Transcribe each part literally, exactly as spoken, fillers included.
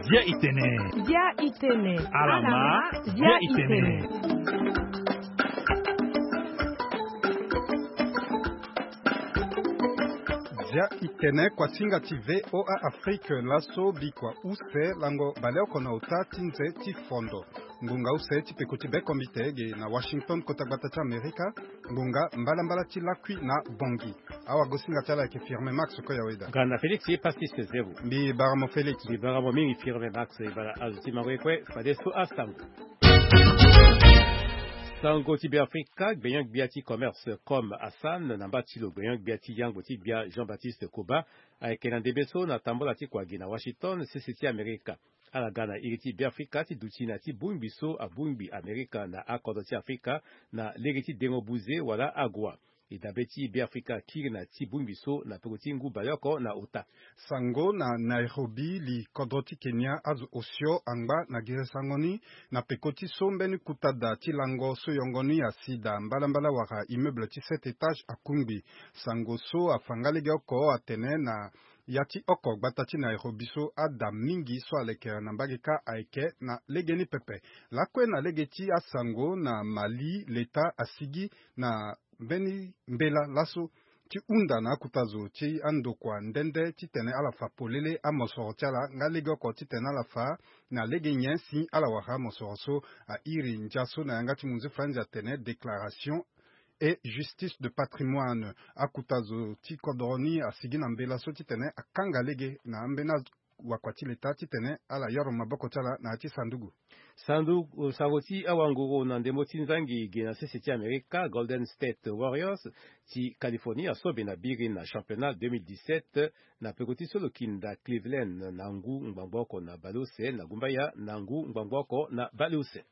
Dia itene. Dia itene. Alama. Dia itene. Dia itene, kuasinga ti VOA Afrique, laso bikua use lango baleoko na ota ti nze ti fondo. Ngonga use ti peko ti bekombite ge na Washington, kota gbata ti Amerika. Ngonga mbalambala ti lakui na Bongi. Awagosinga ti ala ayeke Firme Max Koyaweda. Gana Félix ye Pastis Zero. Mbi bara mo Félix. Mbi bara mo mingi Firme Max. Ibara azo ti mango ye kue fade so asango. Sango ti Beafrika, gbenyo-gbia ti commerce Comme Hassan na mba ti lo gbenyo-gbia ti yango ti gbia Jean-Baptiste Koba ayeke na ndembe so na tambola ti kua gi na Washington, sese ti Amerika. Ala ga na iri ti Beafrika ti duti na ti bongbi so abongbi Amerika na akodro ti Afrika na lege ti dengo buze wala ague. E dabe ti Beafrika akiri na ti bongbi so na peko ti ngu baleoko na ota. Sango na Nairobi, li kodro ti Kenya azo osio angba na gere sango ni na peko ti so mbeni kuta da ti lango so yongo ni asi daa mbalambala wala immeuble ti sept étages akungbi. Sango so afa nga lege oko atene na ya ti oko gbata ti Nairobi so ada mingi so alekere na mbage kâ ayeke na legeni pepe. Lakue na lege ti asango na Mali, leta asigi na mbeni mbela laso ti hunda na akuta zo ti andokua nde nde titene ala fa polele amosoro ti ala nga lege oko titene ala fa na lege nyen si ala wara amosoro so. Airi ndia so na yanga ti munzu franzi atene déclaration et justice de patrimoine. Akuta zo ti kodro ni asigi na mbela so titene akanga lege na ambeni wakua ti leta titene ala yoro maboko ti ala na ya ti sanduku. Sanduku, sango ti awanguru na ndembo ti nzangi ge na sese ti Amerika, Golden State Warriors ti Californie asobe na biri na championnat deux mille dix-sept na peko ti so lo kinda Cleveland na ngu ngbangbo oko na baleuse na gumbaya na ngu ngbangbo oko na baleuse.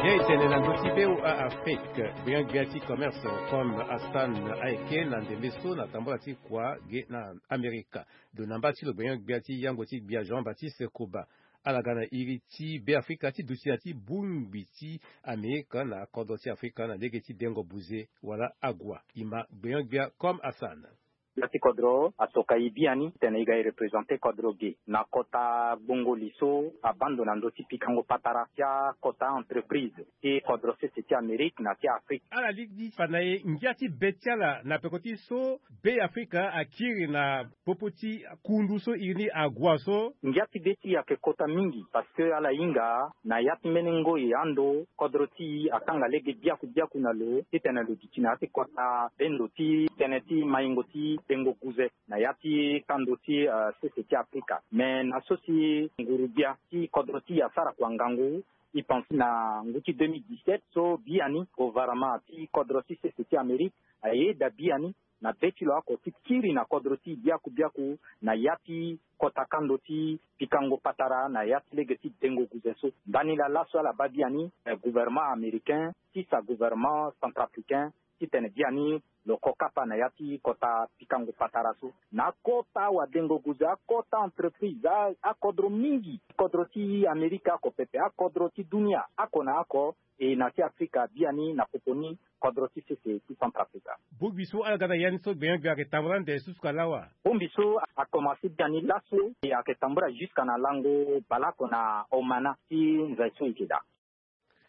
Ye e tene na ndö ti V O A Afrique, gbenyo-gbia ti commerce Comme Hassan ayeke na ndembe so na tambola ti kua ge na Amerika. Lo na mba ti lo gbenyo-gbia ti yango ti gbia Jean-Baptiste Koba. Ala ga na iri ti Beafrika ti duti na ti bongbi ti Amerika na kodro ti Afrika na lege ti dengo buze wala ague. E ma gbenyo-gbia Comme Hassan. Gbia ti kodro asoka e biani titene e ga e représenter kodro ge na kota gbongoli so abaa ndo na ndö ti pikango patara ti akota entreprise ti kodro sese ti Amérique na ti Afrique. Ala lingbi fa na e ngia ti be ti ala na peko ti so Beafrika akiri na popo ti kundu so iri ni ague so. Ngia ti be ti e ayeke kota mingi parce que ala hinga na ya ti mbeni ngoi ando kodro ti e akanga lege biaku biaku na lo titene lo duti na ya ti kota bendo ti tënë ti maingo ti dengo guze na ya ti kando ti, euh, sese ti Afrika. Me na so si nguru-gbia ti kodro ti e asara kua ngangu, e pense na ngu ti deux mille dix-sept so biani gouvernement ti kodro ti sese ti Amérique ayeda biani na be ti lo oko ti kiri na kodro ti e biaku biaku na ya ti kota kando ti pikango patara na ya ti lege ti dengo guze so. Ndani laa laso ala baa biani, eh, gouvernement américain ti sa gouvernement centrafricain titene biani lo ko kapa na ya ti kota pikango patara so. Na akota wadengo guze, akota entreprise, a, akodro mingi, kodro ti Amerika oko pepe, akodro ti dunia oko na oko, e na ti Afrika biani na popo ni kodro ti sese ti Centrafrica. Bongbi so ala ga na ya ni so gbenyo-gbia ayeke tambula ande susuka lawa. Bongbi so akomanse biani laso e ayeke tambula jusque na lango baleoko na Omana ti nze so e yeke daa.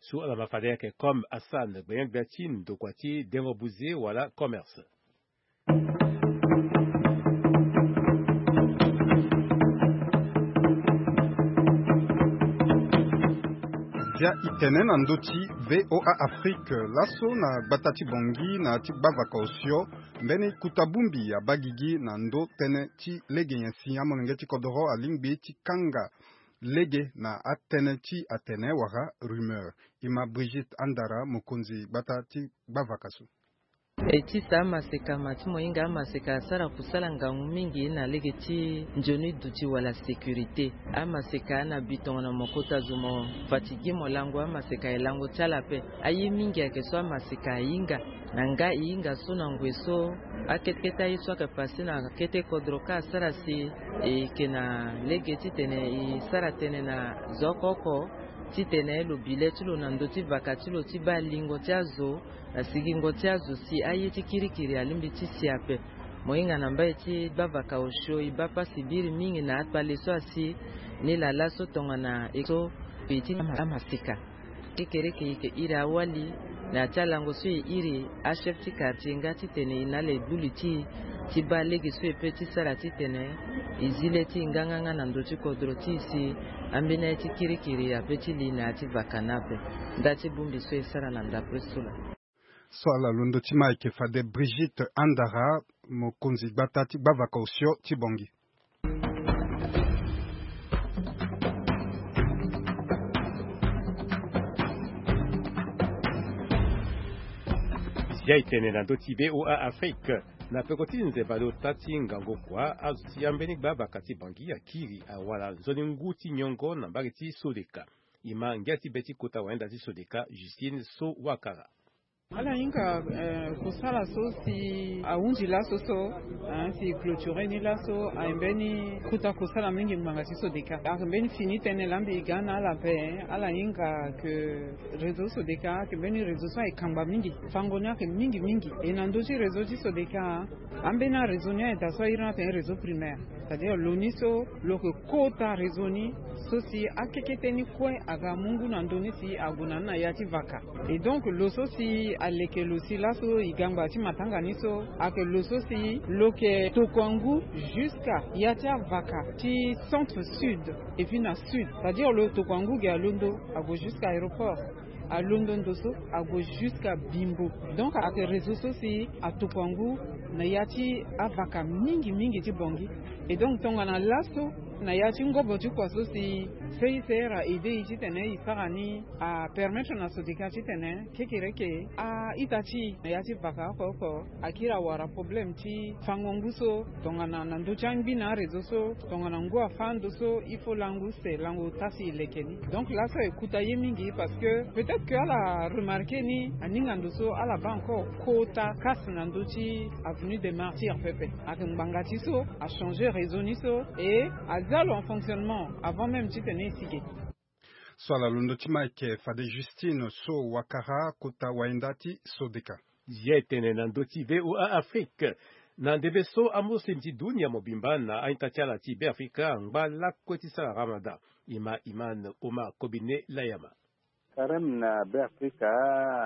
So ala ma fade ayeke Comme Hassan, gbenyo-gbia ti ndokua ti dengo buze wala commerce. Ndia e tene na ndö ti VOA Afrique laso na gbata ti Bangui na ya ti gbavaka osio, mbeni kuta bongbi abaa gigi na ndö tënë ti lege nyen si amolenge ti kodoro alingbi ti kanga lege na atënë ti atene wala rumeur. E ma Brigitte Andara, mokonzi gbata ti gbavaka so. E ti sa amaseka ma ti mo hinga amaseka asara kusala ngangu mingi na lege ti nzoni duti wala sécurité. Amaseka ana bi tongana mo kota zo mo fatigi mo lango amaseka e lango ti ala ape. Aye mingi ayeke so amaseka ahinga na nga e hinga so na ngoi so akete kete aye so ayeke pase na kete kodro ka asara si e yeke na lege titene e sara tënë na zo oko oko titene lo bi le ti lo na ndö ti vaka ti lo ti baa lingo ti azo na sigingo ti azo si aye ti kirikiri alingbi ti si ape. Mo hinga na mbai ti gbavaka osio e baa pasi biri mingi na akpale so asi ni laa laso tongana e so e ti amaseka. Kekereke e yeke iri awali na ya ti alango so e iri achef ti quartier nga titene e na ala e gbu li ti e ti baa lege so e pe ti sara titene e zi le ti e nganganga na ndö ti kodro ti e si ambeni aye ti kirikiri ape ti li na ya ti vaka ni ape. Nda ti bongbi so e sara na ndapre so laa. So ala londo ti ma ayeke fade Brigitte Andara, mokonzi gbata ti gbavaka osio ti Bangui. Zia e tene na ndö ti VOA Afrique. Na peko ti nzemba na ota ti ngangu kua azo ti ambeni gbavaka ti Bangui akiri awara nzoni ngu ti nyongo na mbage ti Sodeka. E ma ngia ti be ti kota wayenda ti Sodeka Justine So Wakara. Ala hinga eh, kusala so si ahunzi laso so, eh, si clôture ni laso aye mbeni kota kusala mingi ngbanga ti Sodeka. Ayeke mbeni fini tënë laa mbi ga na ala ape. Ala hinga ke réseau Sodeka ayeke mbeni réseau so ayeke kangba mingi. Fango ni ayeke mingi mingi. E na ndö ti réseau ti Sodeka, ambeni aréseau ni ayeke daa so a iri ni atene réseau primaire. C'est-à-dire lo ni so lo yeke kota réseau ni so si akekete ni kue aga mu ngu na ndö ni si ague na ni na ya ti vaka. Et donc lo so si aleke lo si laso e ga ngbanga ti matanga ni so ayeke lo so si lo yeke tokua ngu jusqu'à ya ti avaka ti centre sud et puis na sud. C'est-à-dire lo tokua ngu ge alondo ague jusqu'à aéroport. Alondo ndo so ague jusqu'à Bimbo. Donc ayeke réseau so si atokua ngu na ya ti avaka mingi mingi ti Bangui. Et donc tongana laso na ya ti ngobo ti kua so si C I C R a aidé e titene e sara ni, apermettre na Sodeka titene kekereke a-ita ti e na ya ti vaka oko oko akiri awara problème ti fango ngu so tongana na ndö ti angbi na aréseau so tongana ngu afâ ndo so il faut lango use lango ota si e leke ni. Donc laso e kuta ye mingi parce que peut-être que ala remarqué ni aninga ndo so ala baa encore kota casse na ndö ti avenue des Martyrs pepe. Ayeke ngbanga ti so achangé réseau ni so et aza lo en fonctionnement avant même titene e si ge. So ala londo ti ma ayeke fade Justine So Wakara kota wayenda ti Sodeka. Zia e tene na ndö ti VOA Afrique. Na ndembe so amuslim ti dunia mobimba na a-ita ti ala ti Beafrika angba lakue ti sara Ramadan. E ma Iman Omar Kobine Layama. Karême na Beafrika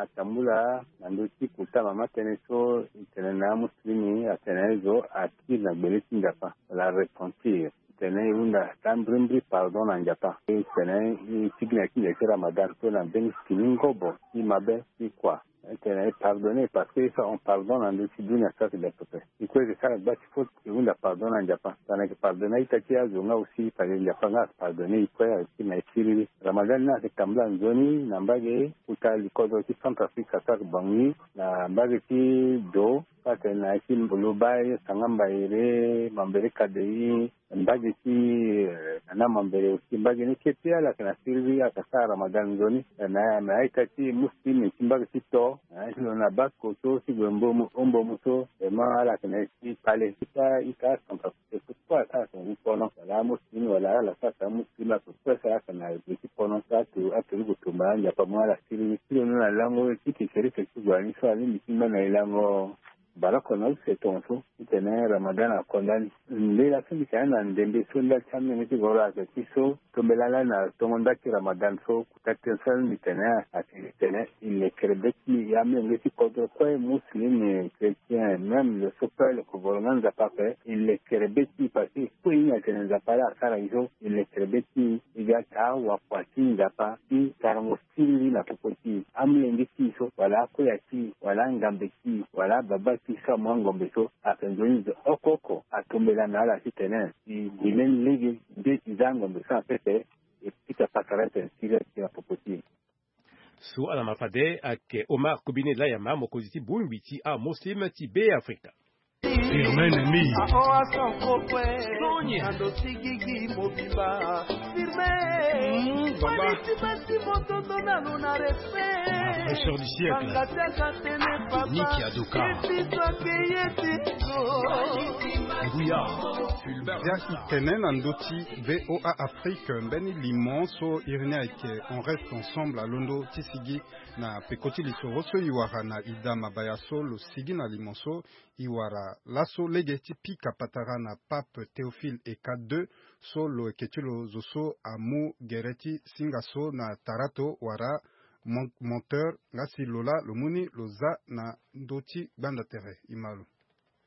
atambula na ndö ti kota mama tënë so e tene na amuslimi atene aye zo akiri na gbele ti Nzapa wala repentir. E tene e hunda taa mbrimbri pardon na Nzapa. E tene e tigbi na ti nze ti Ramadan so na mbeni fini ngobo ti mabe ti kua. E tene e pardonner parce que e fa on pardon na ndö ti dunia so ayeke da pepe. E kue e yeke sara gba ti faute e hunda pardon na Nzapa. Tongana e yeke pardonner a-ita ti azo nga aussi parce que Nzapa nga ayeke pardonner e kue ayeke kiri na e siriri. Ramadan ni ayeke tambula nzoni na mbage kota likodro ti Centrafrique so ayeke Bangui na mbage ti do so atene na ya ti Mboloba, Sangamba Ere, Mambere Kadei, mbage ti eh, na na mambere aussi mbage ni kete ala yeke na siriri ala yeke sara Ramadan nzoni na na a-ita ti muslim ti mbage ti to. Eh, ti lo na bas koto ti gue mbomu ombomu so vraiment ala yeke na ye ti kpale ti ka ita centrafrique so kue asara tonga ti pono wala amuslim wala ala sara tonga muslim ala yeke kue sara ala yeke na gue ti pono so atu atu ni gue tumba anzapa mu ala siriri ti lo ni na lango ti kekereke ti gue ni so alingbi ti mba na ye lango. Baleoko na use tongaso titene Ramadan akonda ni. Mbela so mbi tene na ndembe so nda ti amenge ti goro ayeke ti so tombela lani na tongo nda ti Ramadan so kota tënë so mbi tene ayeke titene e lekere be ti e amenge ti kodro kue muslim, chrétien, même lo so kue lo yeke voro nga Nzapa ape e lekere be ti e parce que e kue e hinga tene Nzapa laa asara e so e lekere be ti e. E ga taa wakua ti Nzapa ti sarango siriri na popo ti e. Amolenge ti e so wala akoya ti e wala angambe ti e wala ababa ti e so amu angombe so ayeke nzoni zo oko oko atombela na ala titene e gi mbeni lege nde ti za angombe so na pepe. E pika pasara tene siriri ayeke na popo ti e. So ala ma fade ayeke Omar Kobine Layama, mokonzi ti bongbi ti aMuslim ti Beafrika. Firmin Nemi. Fraîcheur du siècle. Nicky Adoka. Nguya. Bia ti tene na ndö ti V O A Afrique, mbeni limo so iri ni ayeke On reste ensemble alondo ti sigi na peko ti lisoro so e wara na Ida Mabaya so lo sigi na limo so e wara laso lege ti pika patara na Pape Théophile Eka deux so lo yeke ti lo zo so amu gere ti singa so na tarato wala mon-, monteur, nga si lo laa lo mu ni lo za na ndö ti gbanda tere. E ma lo.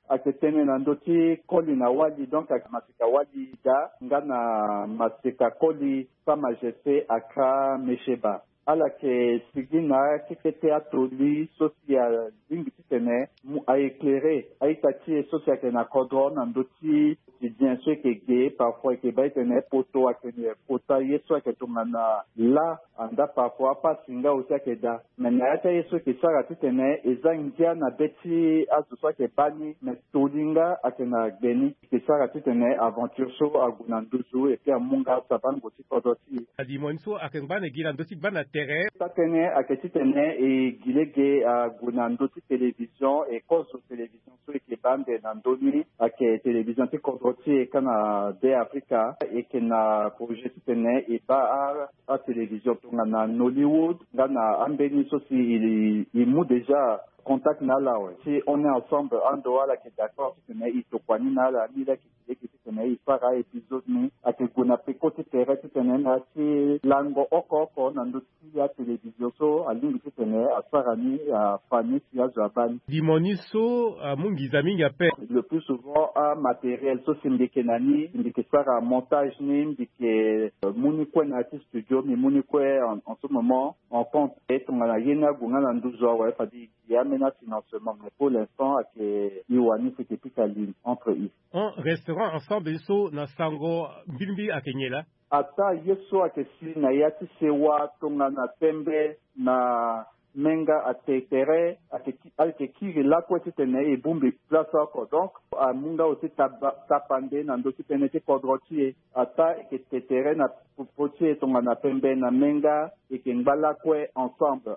Ayeke tene na ndö ti koli na wali, donc ayeke maseka wali daa nga na maseka koli Sa Majesté Aka Mecheba. Ala yeke sigi na akekete atoli so si alingbi titene mu a éclairer a-ita ti e so si ayeke na kodro na ndö ti quotidien so e yeke ge. Parfois e yeke baa titene poto ayeke kota ye so ayeke tongana lâ, andaa parfois apasi nga aussi ayeke daa. Me na ya ti aye so e yeke sara titene e za ngia na be ti azo so ayeke baa ni, me toli nga ayeke na gbe ni. E yeke sara titene aventure so ague na nduzu, et puis amu nga sabango ti kodro ti e. Alimo ni so ayeke ngba na e gi na ndö ti gbanda tere. Taa-tënë ayeke titene e gi lege ague na ndö ti télévision, e kozo télévision so e yeke baa ande na ndö ni ayeke télévision ti kodro ti e kâ na Beafrika. E yeke na projet titene e baa a, atélévision tongana Nollywood nga na ambeni so si e, e mu déjà contact na ala awe. Si On est ensemble ando ala yeke d'accord titene e tokua ni na ala, ni la yeke gi lege titene e sara a-épisode ni. Ayeke gue na peko ti tere titene na ya ti lango oko oko na ndö ti atélévision so alingbi titene asara ni, afa ni si azo abaa ni. Limo ni so amu nginza mingi ape. Le plus souvent amatériel so si mbi yeke na ni, mbi yeke sara montage ni, mbi yeke, euh, mu ni kue na ya ti studio, mbi mu ni kue en, en ce moment en compte. E tongana ye ni ague nga na nduzu awe, fade e gi ambeni afinancement, mais pour l'instant ayeke e wani si e yeke pika ligne entre e. On restera ensemble so na sango mbilimbili ayeke nyen laa? Ataa ye so ayeke si na ya ti sewa tongana pembe na menga ate tere, ayeke ki-, ayeke kiri lakue titene e bongbi place oko. Donc amu nga aussi taba-, tapande na ndö ti tënë ti kodro ti e. Ataa e yeke te tere na popo ti e tongana pembe na menga, e yeke ngba lakue ensemble.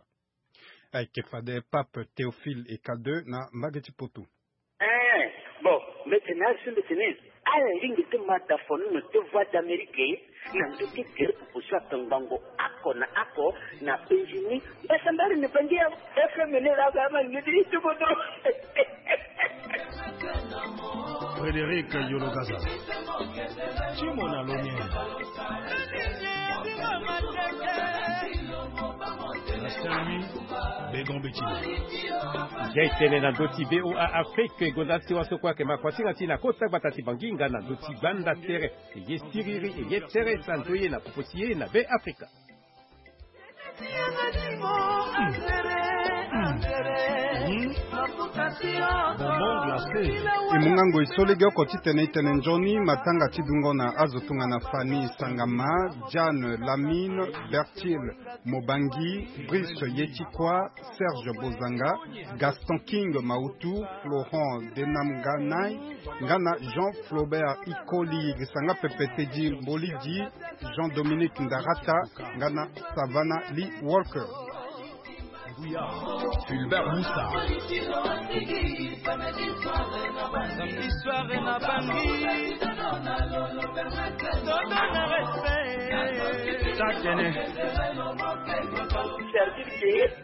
Ayeke fade Pape Théophile Eka deux na mbage ti poto. Eh, bon, mbete na azo so mbete ni. Ala lingbi ti ma da fono na ndö ti Voix d'Amérique na ndö ti tere popo so atongbango oko na oko na États-Unis. Mbasambari na Bangi ya F M ni la ga ma ngeti ni ti kodro. Frédéric Yologaza. Ti mo na lo ni. Na Saint-Louis, Begon Betini. Ndia e tene na ndö ti V O A Afrique, e gonda ti sewa so kue ayeke ma kuasinga ti na kota gbata ti Bangi nga na ndö ti gbanda tere. E ye siriri, e ye tere, sa ndoye na popo ti e na Beafrika. E mu nga ngoi so legeoko titene e tene nzoni matanga ti dungo na azo tongana Fanny Sangama, Diane Lamine, Bertil Mobangi, Brice Yetikwa, Serge Bozanga, Gaston King Mautu, Florent Denamganai, nga na Jean Flaubert Ikoli, Grisanga Pepetedi Mbolidi, Jean-Dominique Ndarata, nga na Savannah Lee Walker. Fulbert Moussa. Samedi soir na Bangi. Toto na respect. Satene. Service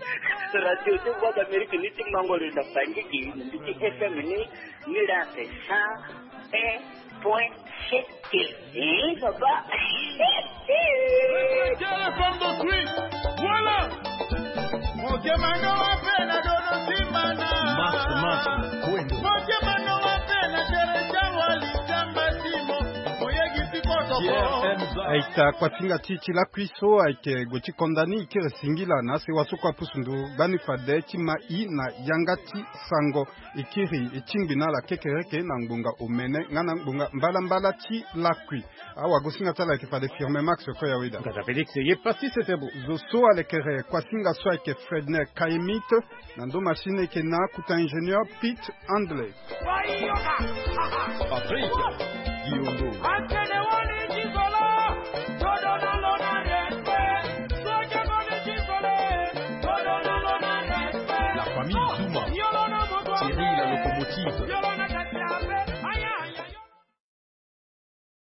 de radio de Voix d'Amérique ni ti mango le na Bangi ki, ni ti F M ni, ni la te sa. Un point sept. Eh, papa. Voilà. Motema no wape na dono simana. Mas, mas, kwendo. Motema no wape na Teresa Wali Samba Timo. Moyegi ti koto Aita kuasinga ti ti lakui so ayeke gue ti konda ni e kiri singila na asewa so kue apusu ndo gbani fade ti ma i na yanga ti sango. E kiri e tingbi na ala kekereke na ngbonga omene nga na ngbonga mbalambala ti lakui. Awagosinga ti ala ayeke fade Firme Max Koyaweda. Ngata Félix ye pasi sete bo. Zo so alekere kuasinga so ayeke Fredner Kaimit. Na ndo machine eke na kuta ingénieur Pete Handley. Patrick Diongo. La famille Zuma. Thierry la locomotive.